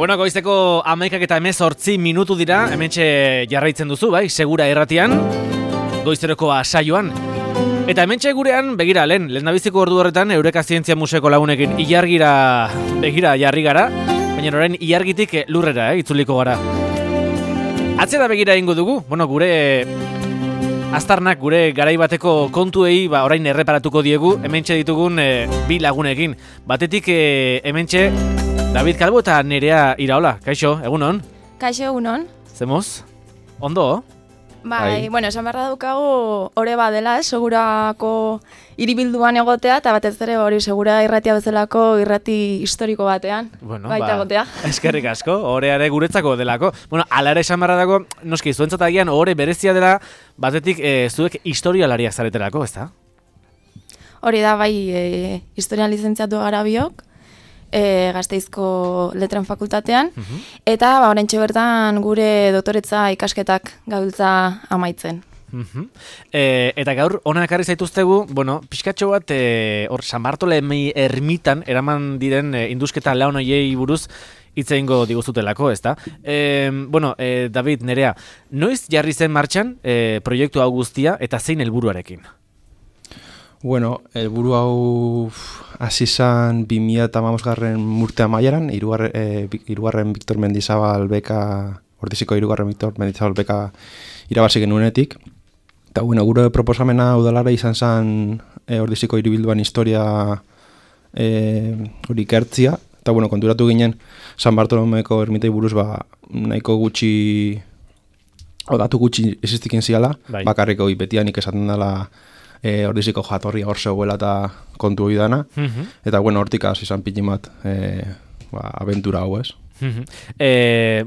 Bueno, goizeko 11:18 dira, hementxe jarraitzen duzu, bai, Segura Irratian, goizeroko saioan. Eta hementxe gurean, begira, lehendabiziko ordu horretan, Eureka Zientzia Museoko lagunekin ilargira begira jarri gara, baina orain ilargitik lurrera, itzuliko gara. Atzera begira egingo dugu, bueno, gure aztarnak, gure garai bateko kontuei, orain erreparatuko diegu, hementxe ditugun bi lagunekin. Batetik hementxe David Calvo eta Nerea Iraola. Kaixo, egunon? Kaixo, egunon. Zemoz? Ondo? Bai, bueno, esan behar daukagu ore badela, Segurako hiribilduan egotea, eta batez ere hori Segura Irratia bezalako irrati historiko batean. Bueno, baita egotea. Eskerrik asko, oreare guretzako delako. Bueno, ala ere esan behar dago, noski, zuentzat agian ore berezia dela, batetik zuek historialariak zareterako, ezta? Hori da, bai, historian lizentziatu gara biok, Gasteizko Letren Fakultatean, eta oraintxe bertan gure doktoretza ikasketak gabiltza amaitzen. Eta gaur hona ekarri zaituztegu, bueno, pixkatxo bat hor San Bartolomei ermitan eraman diren indusketa laun hoiei buruz hitz egingo diguzutelako, ezta? Bueno, David, Nerea, noiz jarri zen martxan proiektu hau guztia eta zein helburuarekin? Bueno, helburu hau hasi zen 2015 urte amaieran, hirugarren Victor Mendizabal beka, Ordiziko hirugarren Victor Mendizabal beka irabazi genuenetik. Eta bueno, gure proposamena udalara izan zen Ordiziko hiribilduan historia hori ikertzia. Eta bueno, konturatu ginen San Bartolomeko ermitei buruz nahiko gutxi, datu gutxi existiken ziala, bakarriko betianik esaten dela Ordiziko jatorria hor zegoela eta kontu hori dana. Eta bueno, hortik hasi izan pitimat abentura hau, ez?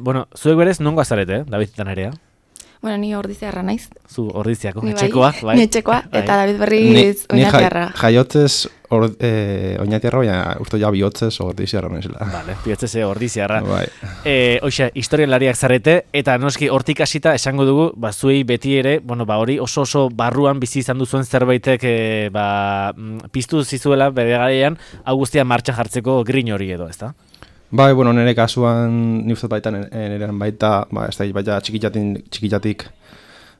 Bueno, zuek berez nongo azarete, David eta Nerea? Bueno, ni Ordiziarra naiz. Zu Ordiziako, etxekoa, bai? Ni etxekoa, eta David berriz Oñatiarra. Jaiotzez Oñatiarra, baina uste ja bihotzez Ordiziarra naizela. Vale, bihotzez Ordiziarra. Bai. Hoxe, historialariak zarete, eta noski hortik hasita esango dugu, zuei beti ere, bueno, hori oso barruan bizi izan duzuen zerbaitek piztu zizuela bere garaian, hau guztia martxan jartzeko grin hori edo, ezta? Bai, bueno, nire kasuan ni uste baita nirean baita, ez da, baita txikitatik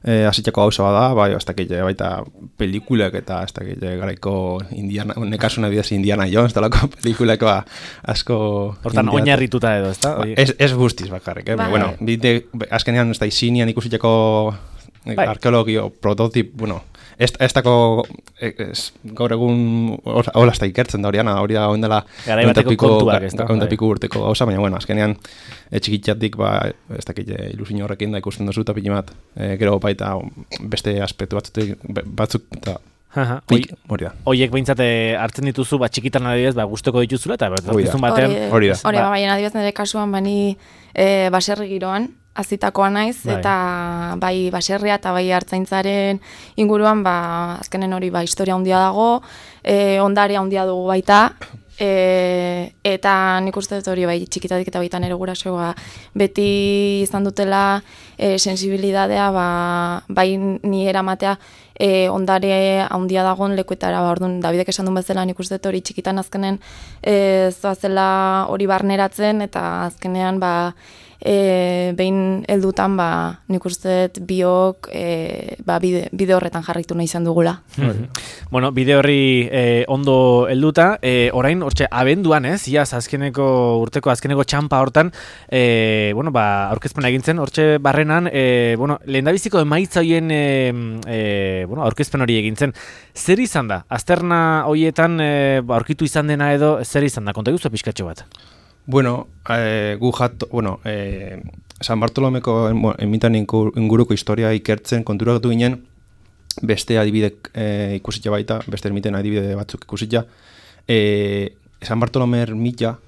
hasitako gauza bada, bai, ez da, baita pelikulek eta ez da, garaiko Indiana, nire kasuna bidez Indiana Jones, talako pelikulek asko... Hortan oinarrituta edo, ez da? Ez guztiz bakarrik, bueno, azkenean ez da, izinian ikusiteko arkeologio prototip, bueno, ez dako gaur egun hola ez da ikertzen da horiana, hori da oindela piku urteko gauza, baina bueno, azkenean txikitzatik ez dakit ilusio horrekin da ikusten duzu eta pilimat gero baita beste aspektu batzuk eta hori da. Horiek behintzat hartzen dituzu txikitan adibidez gustoko dituzula eta bertazkizun batean hori da. Hori baina adibidez nire kasuan bani baserri giroan azitakoa naiz, eta bai baserria eta bai hartzaintzaren inguruan, azkenen hori historia handia dago, ondarea handia dugu baita, eta nik uste dut hori bai txikitatik eta baita nire gurasoa beti izan dutela sensibilidadea, bai ni eramatea ondare handia dagoen lekuetara, orduan Davidek esan duen bezala nik uste dut hori txikitan azkenen zoazela hori barneratzen, eta azkenean behin heldutan nik uste biok bide horretan jarraitu nahi izan dugula. Bueno, bide horri ondo helduta, orain hortxe abenduan iaz azkeneko urteko azkeneko txampa hortan, bueno, aurkezpena egintzen, hortxe barrenan, bueno, lehendabiziko emaitza hoien bueno, aurkezpen hori egintzen. Zer izan da? Azterna horietan aurkitu izan dena edo, zer izan da? Konta guzu pixkatxo bat? Bueno, San Bartolomeko enmitan inguruko historia ikertzen konturatu ginen, beste adibidek ikusitza baita, beste ermiten adibide batzuk ikusitza. San Bartolome ermita,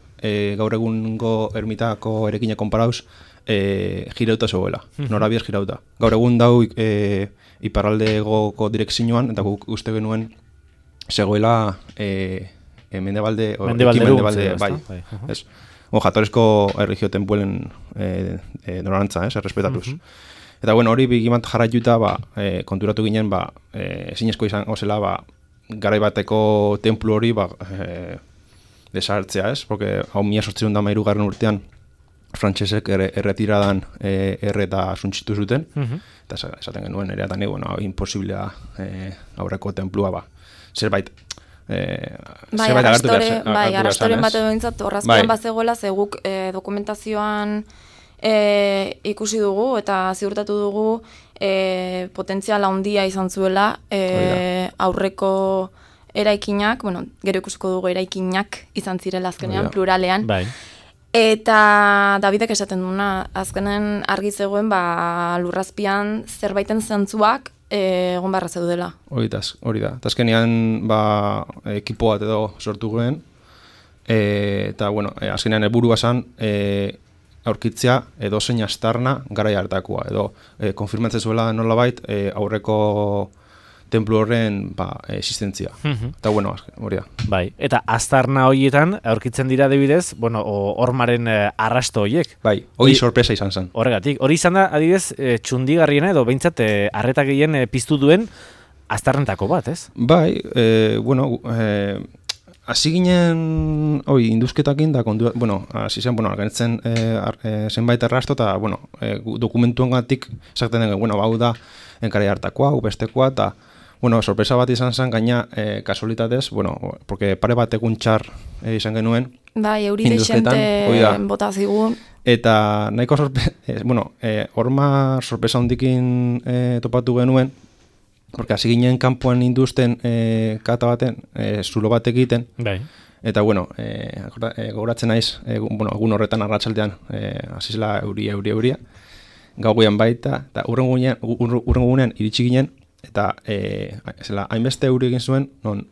gaur egungo ermitako erekina konparauz, girauta zegoela, norabiez girauta. Gaur egun dau iparraldegoko direkzioan, eta guk uste genuen zegoela mendebalde bai. Ez. Jatorezko erregio tenpuelen norantza, errespetatuz. Eta bueno, hori bigimant jarraituta, konturatu ginen, ezinezko izan zela, garai bateko templu hori desartzea, ez? Porque hau 1813 urtean frantsesek erretiradan erreta suntxitu zuten, eta esaten genuen ere eta bueno, imposiblea aurreko templua, zerbait arrastoren bat edo bintzat, horrazpian bazegoela, zeguk dokumentazioan ikusi dugu eta ziurtatu dugu potentziala handia izan zuela aurreko eraikinak, gero ikusiko dugu eraikinak izan zirela azkenean, pluralean. Eta Davidek esaten duna, azkenen argi zegoen lurrazpian zerbaiten zantzuak egon barra zeudela. Hori da. Eta azkenean ekipo bat edo sortu guen, eta azkenean helburua zen aurkitzea edo zein astarna garai hartakoa, edo konfirmatzen zuela nolabait aurreko templu horren existentzia. Eta hori da. Bai, eta astarna horietan aurkitzen dira adibidez, hormaren arrasto horiek. Bai, hori sorpresa izan zen. Horregatik, hori izan da adibidez txundigarriena edo behintzat arreta gehien piztu duen astarnetako bat, ez? Bai, hasi ginen induzketakin da hasi zen, argenitzen zenbait arrasto eta dokumentuengatik esaten den, hau da enkarai hartakoa, bestekoa, eta sorpresa bat izan zen, gaina kasualitatez, porque pare bat egun txar izan genuen. Bai, euri deixente bota zigun. Eta nahiko horma sorpresa hondikin topatu genuen, porque hasi ginen kanpoan induzten kata baten, zulo bat egiten. Bai. Eta, gogoratzen naiz, egun horretan arratsaldean hasi zela euria, gauean baita, eta urrengunean iritsi ginen, eta hainbeste euri egin zuen, non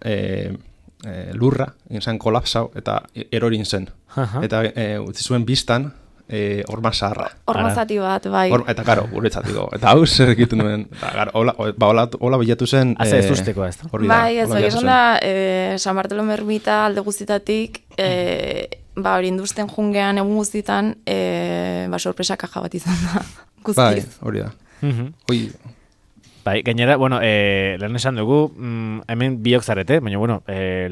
lurra egin zen kolapsau, eta erorin zen. Eta utzi zuen biztan, horma zaharra. Horma zati bat, bai. Eta karo, guretzatiko. Eta hau zer egiten duen. Hola bilatu zen... Haze ez usteko, ez da? Bai, ez hori esan da, San Bartolome ermita alde guztitatik, hori induzten jungean egun guztitan, sorpresa kaja bat izan da. Bai, hori da. Bai, gainera, lehen esan dugu, hemen biok zarete, baina,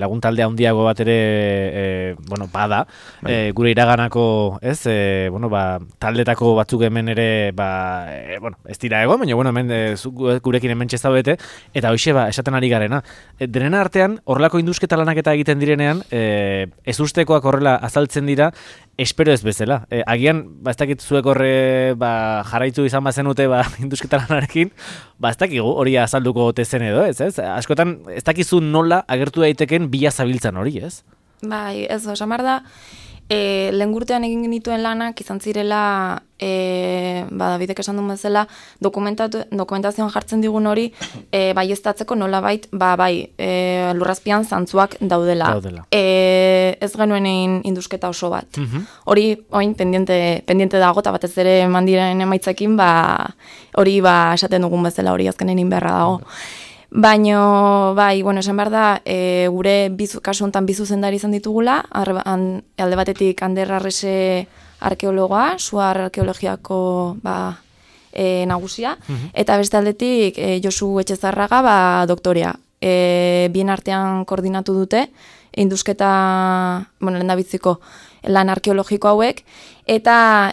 lagun taldea handiago bat ere, bada, gure iraganako, ez, taldetako batzuk hemen ere, ez dira egon, baina, hemen gurekin hemen txezta eta hoxe, esaten ari garena. Denen artean, horrelako indusketa lanak eta egiten direnean, ez ustekoak horrela azaltzen dira, espero ez bezala. Agian, ez dakit zuek horre jarraitu izan bazenute indusketa lanarekin, ez dakigu hori azalduko tezen edo, ez? Askotan, ez dakizu nola agertu daiteken bila zabiltzan hori, ez? Bai, ez da, samar da, lehen gurtean egin genituen lanak izan zirela, Davidek esan duen bezala, dokumentazioan jartzen digun hori, baieztatzeko nolabait, lurrazpian zantzuak daudela. Ez genuen egin indusketa oso bat. Hori, oin, pendiente dago, eta batez ere mandiren emaitzekin, hori esaten dugun bezala hori azkenen inberra dago. Baina, esan behar da, gure kasu honetan bizu zendari izan ditugula, alde batetik Ander Arrese arkeologoa, Suar arkeologiako nagusia, eta beste aldetik Josu Etxezarraga doktorea. Bien artean koordinatu dute, indusketa, lehendabiziko lan arkeologiko hauek, eta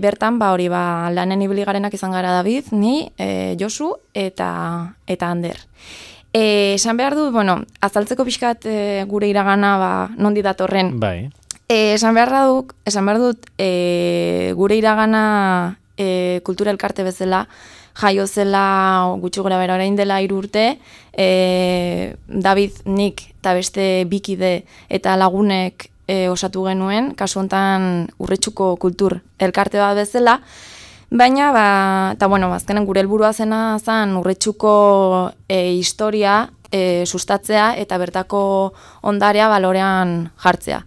bertan, lanen ibili garenak izan gara David, ni, Josu, eta Ander. Esan behar dut, azaltzeko pixkat gure iragana nondi datorren. Bai. Esan behar dut, gure iragana kultura elkarte bezala, jaio zela gutxi gora bera orain dela 3 urte, David, nik eta beste bikide eta lagunek osatu genuen, kasu hontan Urretxuko kultur elkarte bat bezala, baina, azkenen gure helburua zena zen Urretxuko historia sustatzea eta bertako ondarea balorean jartzea.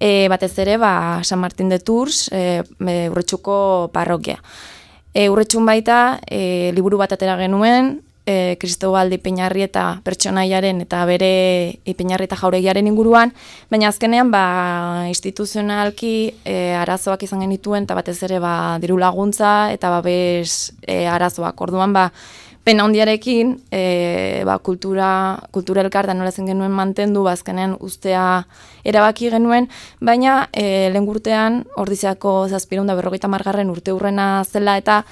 batez ere San Martin de Tours, Urretxuko parrokia. Urretxun baita, liburu bat atera genuen, Cristobal de Ipeñarrieta pertsonaiaren eta bere Ipeñarrieta jauregiaren inguruan, baina azkenean instituzionalki arazoak izan genituen, eta batez ere diru laguntza eta babes arazoak. Orduan pena hondiarekin kultura elkarta nola zen genuen mantendu, azkenean ustea erabaki genuen, baina lehen urtean Ordiziako 750. urte urrena zela eta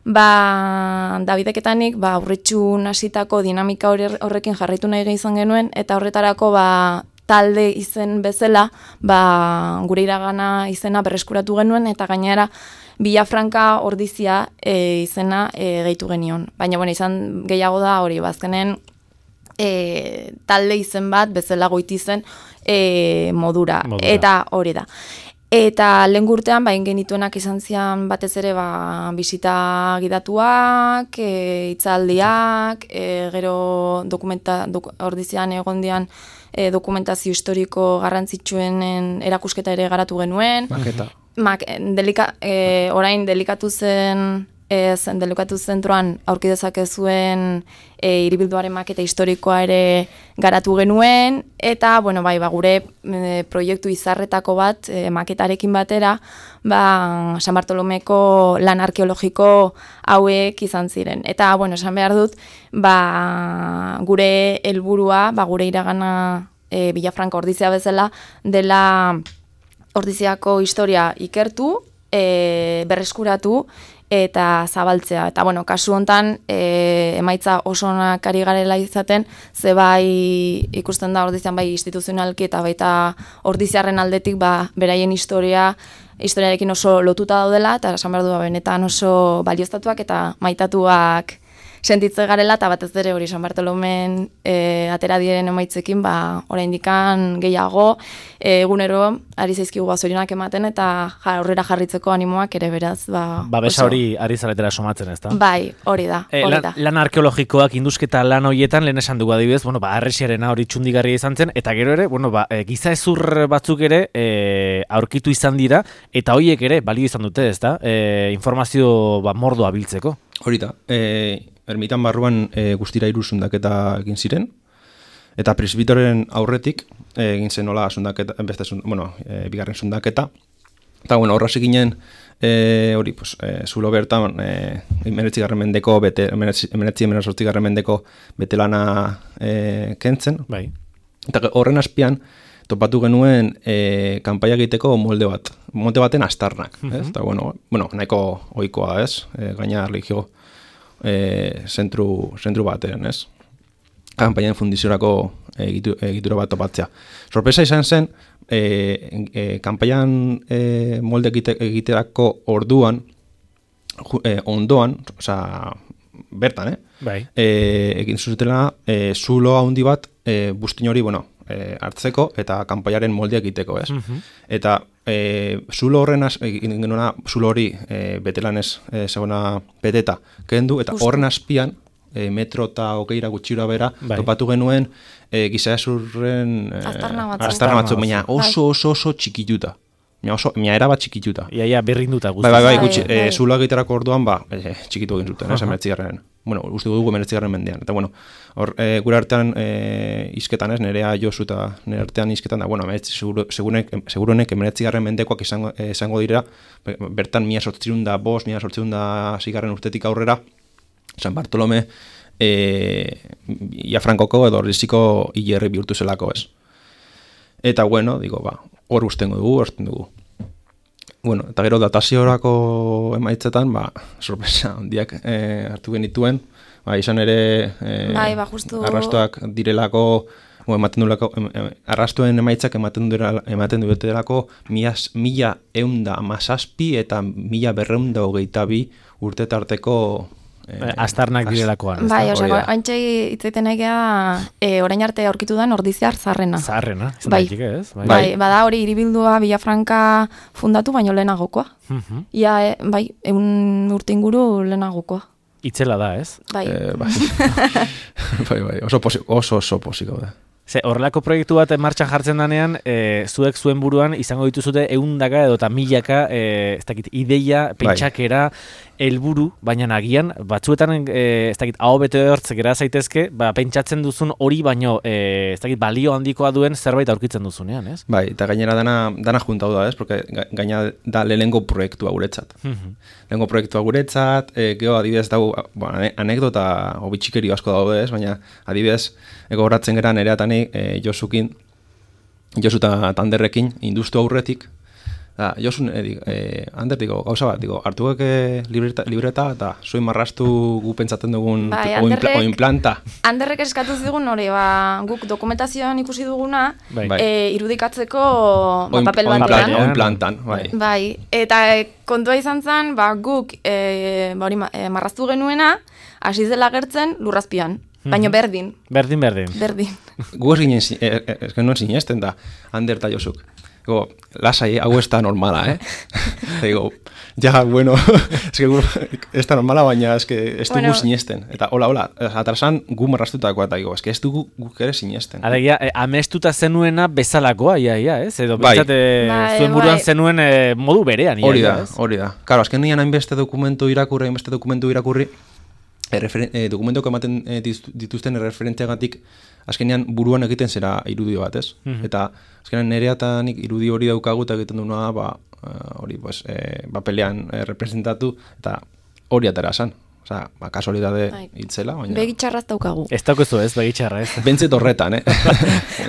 Davideketanik Urretxun hasitako dinamika horrekin jarraitu nahi izan genuen, eta horretarako talde izen bezala gure iragana izena berreskuratu genuen, eta gainera Villafranca Ordizia izena gehitu genion. Baina izan gehiago da hori, azkenen talde izen bat bezala goiti zen modura. Eta hori da. Eta lehen urtean, genituenak izan zian batez ere bisita gidatuak, hitzaldiak, gero Ordizian egondian dokumentazio historiko garrantzitsuenen erakusketa ere garatu genuen. Maketa. Orain delikatu zentroan aurki dezakezuen hiribilduaren maketa historikoa ere garatu genuen, eta gure proiektu izarretako bat maketarekin batera San Bartolomeko lan arkeologiko hauek izan ziren. Eta esan behar dut gure helburua, gure iragana Villafranca Ordizia bezala dela Ordiziako historia ikertu, berreskuratu eta zabaltzea. Eta kasu hontan emaitza oso onak ari garela izaten, ze ikusten da Ordizian instituzionalki eta baita Ordiziarren aldetik beraien historiarekin oso lotuta daudela, eta esan behar du benetan oso balioztatuak eta maitatuak sentitze garela, eta batez ere hori San Bartolomen atera diren emaitzekin oraindikan gehiago egunero ari zaizkigu zorionak ematen, eta aurrera jarritzeko animoak ere beraz. Babesa hori ari zaretera somatzen, ez da? Bai, hori da. Lan arkeologikoak indusketa lan horietan lehen esan dugu adibidez, arresiarena hori txundigarria izan zen, eta gero ere, giza ezur batzuk ere aurkitu izan dira, eta horiek ere balio izan dute, ez da? Informazio mordoa biltzeko. Hori da, ermitan barruan guztira 3 zundaketa egin ziren, eta presbitoren aurretik egin zen nola bigarren zundaketa, eta horraz eginen zulo bertan 19. mendeko betelana kentzen, eta horren azpian topatu genuen kanpaia egiteko molde baten astarnak, eta nahiko ohikoa, ez? Gaina erlijio zentru batean, ez? Kanpaian fundiziorako egitura bat topatzea. Sorpresa izan zen, kanpaian molde egiterako orduan, ondoan, bertan, egin zuzutela zulo handi bat bustin hori, hartzeko eta kanpaiaren moldeak egiteko, ez? Eta zulo horren zulo hori betelanez segona beteta kendu, eta horren azpian metro eta 20 gutxira bera topatu genuen giza ezurren astarna batzuk, baina oso txikituta. Mia era bat txikituta. Iaia berrinduta guzti. Gutxi. Zuloa egiterako orduan, txikitu egin zuten, 19. Uste dugu 19. mendean. Eta, gure artean izketan ez, nerea Josu eta nire artean izketan, segurunek 19. mendekoak izango dira, bertan 1805, 1806 urtetik aurrera, San Bartolome Villafrancoko edo Ordiziko hilerri bihurtu zelako, ez. Eta, hor usten dugu. Eta gero dataziorako emaitzetan, sorpresa handiak hartu genituen, izan ere arrastoak direlako, arrastoen emaitzak ematen dutelako 1117 eta 1222 urte tarteko astarnak direlakoan. Oantxe hitzaiten nahi geha, orain arte aurkitu da Ordiziar zaharrena. Zaharrena, izan daiteke ez? Bada hori hiribildua Villafranca fundatu, baino lehenagokoa. Ia, 100 urte inguru lehenagokoa. Itzela da, ez? Bai. Oso posiko da. Horrelako proiektu bat martxan jartzen danean, zuek zuen buruan izango dituzute 100 edo eta 1000 ez dakit, ideia, pentsakera, helburu, baina agian batzuetan ez dakit, aho bete hortz gera zaitezke, pentsatzen duzun hori baino ez dakit, balio handikoa duen zerbait aurkitzen duzunean, ez? Bai, eta gainera dana juntau da, ez? Porque gaina da lehengo proiektua guretzat. Lehengo proiektua guretzat, geho adibidez dago, anekdota obitxikeri asko daude, ez? Baina adibidez, gogoratzen geran ere atani Josu eta Anderrekin industu aurretik. Josu, Ander, gauza bat, hartuak libreta eta soin marrastu gu pentsatzen dugun oinplanta. Anderrek eskatu zigun hori, guk dokumentazioan ikusi duguna, irudikatzeko papel batean. Oinplantan, bai. Bai, eta kontua izan zen, guk marraztu genuena, hasi zela gertzen lurrazpian. Baina berdin. Berdin. Gu ez genuen sinesten da, Ander eta Josuk. Lasai, hau ez da normala, Digo, ja, bueno, ez da normala, baina ez dugu sinesten. Eta hola, atrasan gu marraztutakoa, eta digo, ez dugu guk ere sinesten. Alegia, amestuta zenuena bezalakoa, ia, ez? Edo bintzate zuen buruan zenuen modu berean, ia, ez? Hori da. Karo, azken nian hainbeste dokumentu irakurri, dokumentuak ematen dituzten erreferentziagatik azkenean buruan egiten zera irudio bat, ez? Eta azkenean nereatanik irudi hori daukagu eta egiten duena hori pelean representatu eta hori atera esan. Osa, kasualidade hitzela, baina... Begitxarraz daukagu. Ez daukezu ez, begitxarra ez. Bentzet horretan,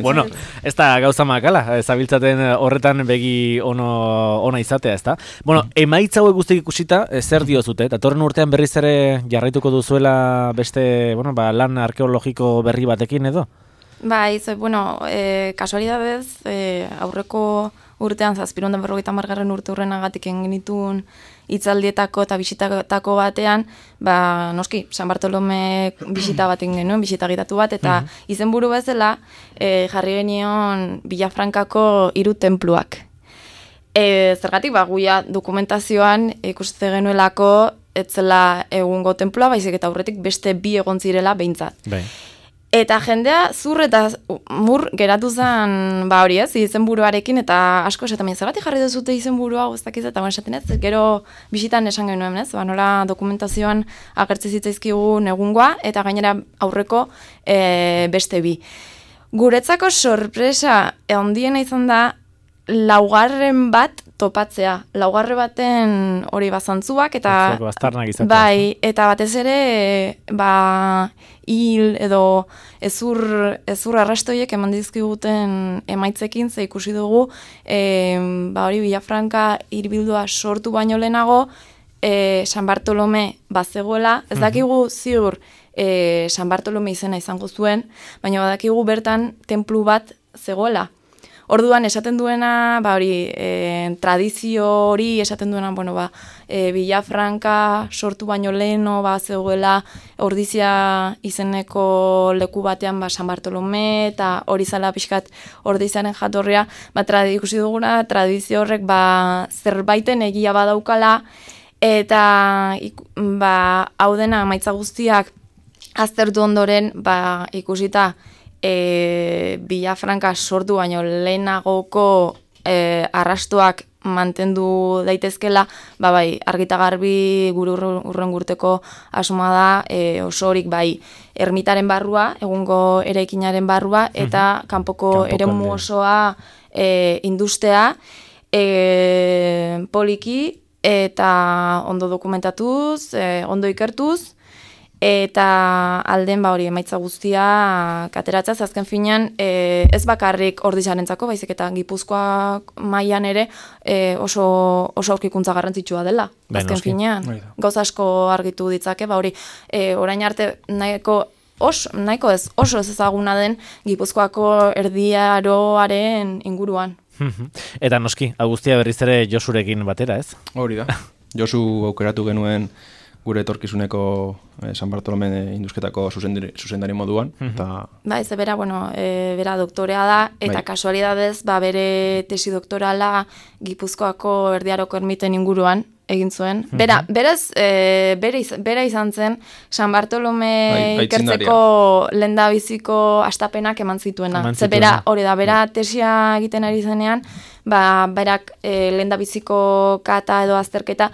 Bueno, ez da gauza makala, zabiltzaten horretan begi ona izatea, ez da? Bueno, emaitza hauek guztik ikusita, zer diozute? Datorren urtean berriz ere jarraituko duzuela beste, lan arkeologiko berri batekin edo? Kasualidadez, aurreko urtean, 750 urte hurrenagatik egin genituen hitzaldietako eta bisitatako batean, noski, San Bartolome bisita bat egin genuen, bisita gitatu bat, eta izenburu bezala jarri genion Villafrancako 3 tenpluak. Zergatik, guia dokumentazioan ikuste genuelako etzela egungo tenplua, baizik eta aurretik beste 2 egon zirela behintzat. Eta jendea zur eta mur geratu zen, hori ez, izenburuarekin, eta asko esaten zergatik jarri duzute izenburua guztakiz, eta esaten ez, gero bisitan esan genuen, ez, nola dokumentazioan agertze zitzaizkigun egungoa, eta gainera aurreko beste 2. Guretzako sorpresa handiena izan da, 4 bat topatzea. 4 baten hori bazantzuak, eta bai, eta batez ere hil edo ezur arrastoiek eman dizkiguten emaitzekin, ze ikusi dugu hori Villafranca hirbildua sortu baino lehenago San Bartolome bazegoela, ez dakigu ziur San Bartolome izena izango zuen, baina badakigu bertan tenplu bat zegoela. Orduan esaten duena, tradizio hori esaten duena, Villafranca sortu baino leheno zegoela Ordizia izeneko leku batean San Bartolome, eta hori zala pixkat Ordiziaren jatorria, ikusi duguna, tradizio horrek zerbaiten egia badaukala, eta hau dena emaitza guztiak aztertu ondoren ikusita Villafranca sortu baino lehenagoko arrastoak mantendu daitezkela, argita garbi gure urren urteko asuma da osorik ermitaren barrua, egungo eraikinaren barrua, eta kanpoko eremu osoa industea poliki eta ondo dokumentatuz, ondo ikertuz, eta alden hori emaitza guztia kateratzaz, azken finean ez bakarrik Ordiziarentzako, baizik eta Gipuzkoa mailan ere oso aurkikuntza garrantzitsua dela, azken finean. Gauza asko argitu ditzake, orain arte nahiko ez oso ezaguna den Gipuzkoako erdiaroaren inguruan. Eta noski, guztia berriz ere Josurekin batera, ez? Hori da. Josu aukeratu genuen gure etorkizuneko San Bartolome indusketako zuzendari moduan. Eta... Bai, ze bera, bera doktorea da, eta kasualidadez, bere tesi doktorala Gipuzkoako Erdiaroko ermiten inguruan egin zuen. Berez, bera izan zen, San Bartolome ikertzeko lehendabiziko astapenak eman zituena. Ze bera, hori da, bera tesia egiten ari zenean, berak lehendabiziko kata edo azterketa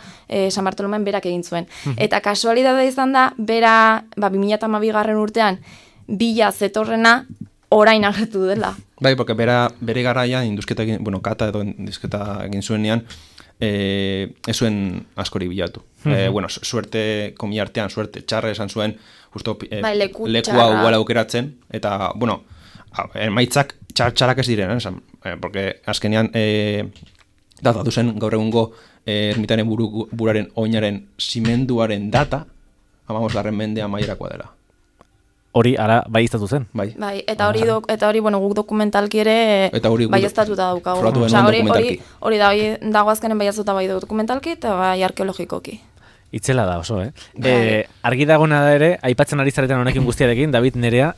San Bartolomen berak egin zuen. Eta kasualidadea izan da, bera 2012 urtean bila zetorrena orain agertu dela. Bai, porque bere garaian indusketa egin, kata edo indusketa egin zuenean, ez zuen askori bilatu. Suerte, komiartean, suerte txarra esan zuen, justo lekua uala aukeratzen, eta, emaitzak txarrak ez diren, porque azkenean data duzen gaur egungo ermitaren buraren oinaren zimenduaren data, 15. mende amaierakoa dela. Hori ara bai iztatu zen. Bai, eta hori guk dokumentalki ere bai estatuta daukagu. Hori dago azkenen bai azuta bai dokumentalki eta bai arkeologikoki. Itzela da oso, Argi dagoena da ere, aipatzen ari zareten honekin guztiarekin, David, Nerea,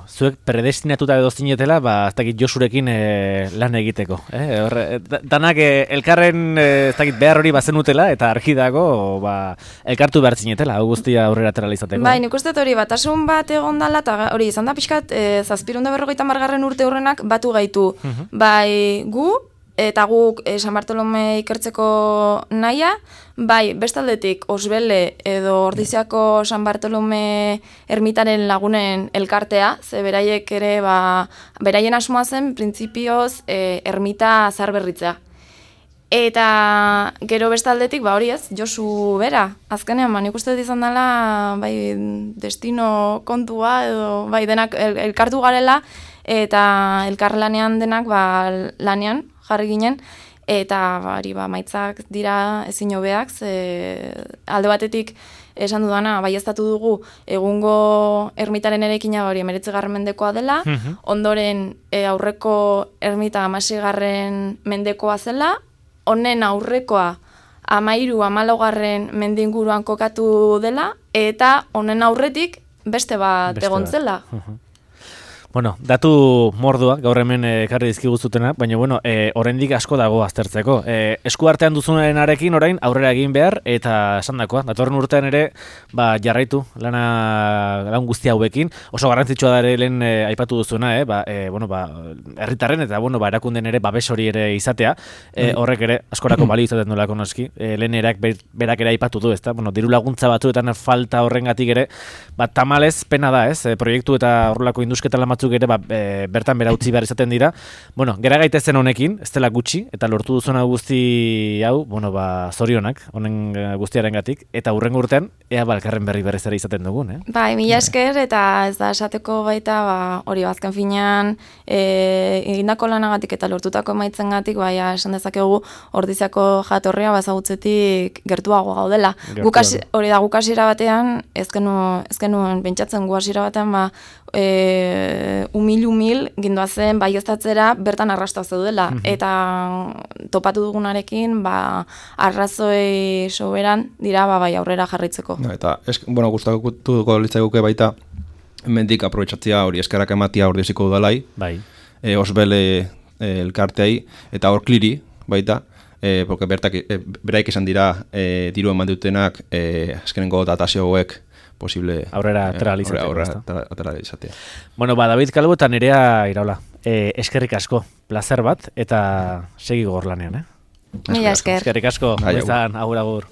zuek predestinatuta edo zinetela, ez dakit Josurekin lan egiteko. Danak elkarren behar hori bazenutela, eta argi dago elkartu behar zinetela, guztia aurrera atera izateko. Bai, nik uste hori batasun bat egon dala, eta hori izan da pixkat, 750 urte horrenak batu gaitu. Bai, gu, eta guk San Bartolome ikertzeko nahia, bai, bestaldetik Osbele edo Ordiziako San Bartolome ermitaren lagunen elkartea, ze beraiek ere, beraien asmoa zen, printzipioz, ermita zaharberritzea. Eta gero bestaldetik, hori ez, Josu bera, azkenean, nik uste izan dela, bai, destino kontua, edo, bai, denak elkartu garela, eta elkarlanean denak, lanean, jarri ginen, eta maitzak dira ezin hobeak, alde batetik esan dudana, baieztatu dugu egungo ermitaren erekina 19. mendekoa dela, ondoren aurreko ermita 16. mendekoa zela, honen aurrekoa 13-14 mende inguruan kokatu dela, eta honen aurretik beste bat egon zela. Datu mordua, gaur hemen ekarri dizkiguzutena, baina, oraindik asko dago aztertzeko. Esku artean duzunaren arekin orain aurrera egin behar, eta esan dakoa, datorren urtean ere, jarraitu lan guzti hauekin. Oso garrantzitsua da ere lehen aipatu duzuna, herritarren eta, erakunden ere babes hori ere izatea. Horrek ere, askorako balio izaten duelako noski. Lehen erak berak ere aipatu du, ezta? Diru laguntza batzuetan falta horrengatik ere, tamalez pena da, ez? Proiektu eta horrelako indusketa lan batzuk ere bertan bera utzi behar izaten dira. Gera gaitezen honekin, ez dela gutxi, eta lortu duzuna guzti hau, zorionak, honen guztiarengatik, eta hurrengo urtean, ea elkarren berriz ere izaten dugun, Bai, mila esker, eta ez da esateko baita, hori azken finean, egindako lanagatik eta lortutako emaitzengatik, esan dezakegu Ordiziako jatorria bazagutzetik gertuago gaudela. Hori da, guk hasiera batean, ez genuen pentsatzen gu hasiera batean, umil gindoazen baieztatzera bertan arrasta zeudela, eta topatu dugunarekin arrazoi soberan dira aurrera jarraitzeko. Eta, gustatuko litzaiguke baita hemendik aprobetxatzea hori eskerrak ematia Ordiziko udalai, Osbele elkarteai, eta hor kliri baita, porque beraik esan dira diru eman dutenak azkenengo datazio hauek posible aurrera atera izatea. David Calvo eta Nerea Iraola. Eskerrik asko, placer bat, eta segi gogor lanean, Mila esker. Eskerrik asko, agur.